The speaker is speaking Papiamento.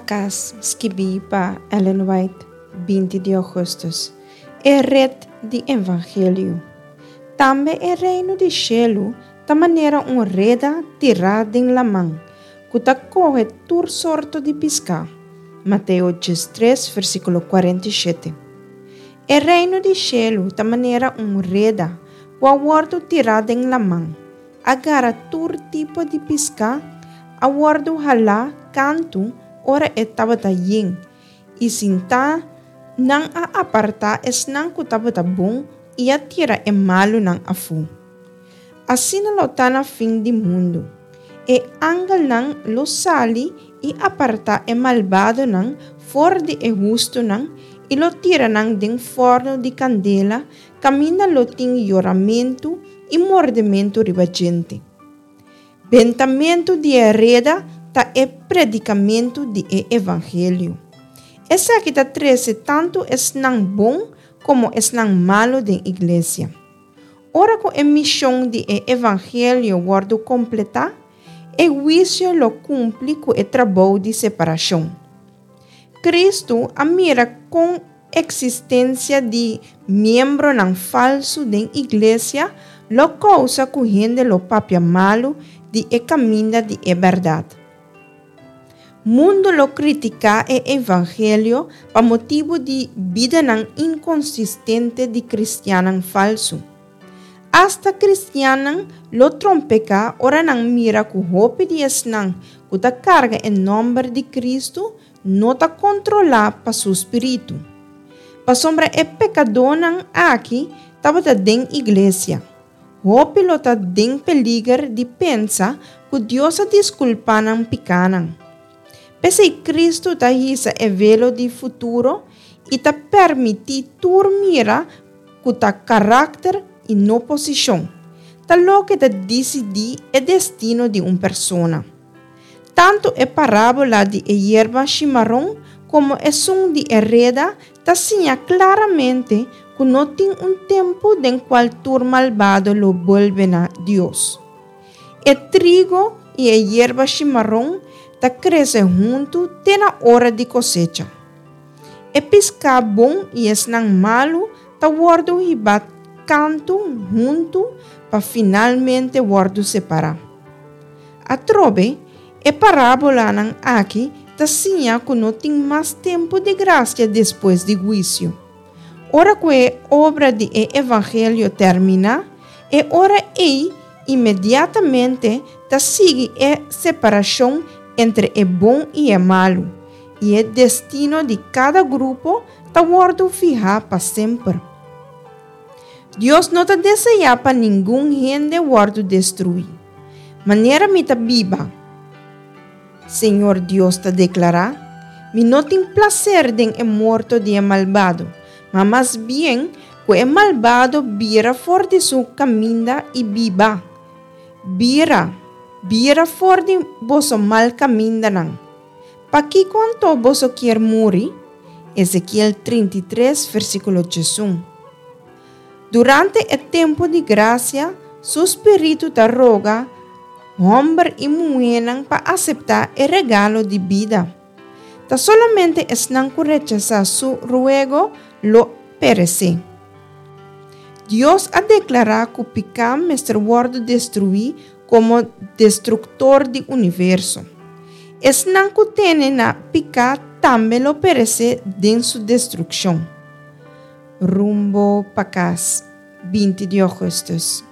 pa Kas, skibí pa Ellen White, 20 di ougùstùs. E ret di Evangelio. Tambe e Reino di shelu ta manera un reda tirá den laman, ku ta kohe tur sorto di piská. Mateo 13, versíkulo 47. E Reino di shelu ta manera un reda ku a wòrdu tirá den laman, a gara tur tipo di piská, a wòrdu halá kantu ora e tabata yen, i sintá nan a apartá esnan ku tabata bon i a tira e malunan afó. Asina lo ta na fin di mundu. E angelnan lo sali i apartá e malbadonan for di e hustunan i lo tira nan den fòrnu di kandela kaminda lo tin yoramentu i mordementu riba djente. Bentamentu di e reda ta e predikamentu di e evangelio. Esaki ta trese tantu esnan bon komo esnan malu den iglesia. Ora ku e mishon di e evangelio wòrdu kompletá, e huisio lo kumpli ku e trabou di separashon. Kristu a mira kon eksistensia di miembronan falsu den iglesia lo kousa ku hende lo papia malu di e kaminda di e bèrdat. Mundu lo kritiká e evangelio pa motibu di bidanan inkonsistente di kristiannan falsu. Asta kristiannan lo trompeká ora nan mira ku hopi di esnan ku ta karga e nòmber di Kristu no ta kontrolá pa su spiritu. Pasobra e pekadónan aki tabata den iglesia, hopi lo ta den peliger di pensa ku Dios a diskulpá nan pikánan. P'esei Kristu ta hisa e velo di futuro i ta permití tur mira ku ta karakter i no posishon, ta loke ta disidí e destino di un persona. Tantu e parábola di e yerba shimaron komo esun di e reda ta siña klaramente ku no tin un tempu den kual tur malbado lo bolbe na Dios. E trigo i e yerba shimaron ta krese huntu te na ora di kosecha. E piská bon i esnan malu ta wòrdu hibá kantu huntu pa finalmente wòrdu separá. Atrobe, e parábolanan aki ta siña ku no tin mas tempu di grasia despues di huisio. Ora ku e obra di e evangelio terminá, e ora ei inmediatamente ta sigui e separashon entre e bon i e malu, i e destino di kada grupo ta wòrdu fihá pa semper. Dios no ta deseá pa ningun hende wòrdu destruí. Manera mi ta biba, Señor Dios ta deklará, mi no tin plaser den e morto di e malbado, ma mas bien ku e malbado bira for di su kaminda i biba. Bira, bira for di boso mal kamindanan. Pakiko anto boso kier muri? Ezekiel 33, versíkulo 11. Durante e tempu di grasia, su spiritu ta roga hòmber i muhénan pa aseptá e regalo di bida. Ta solamente esnan ku rechasá su ruego lo peresé. Dios a deklará ku piká mester wòrdu destruí komo destruktor di universo. Esnan ku tene na piká tambe lo peresé den su destrukshon. Rumbo pa kas, 20 di ougùstùs.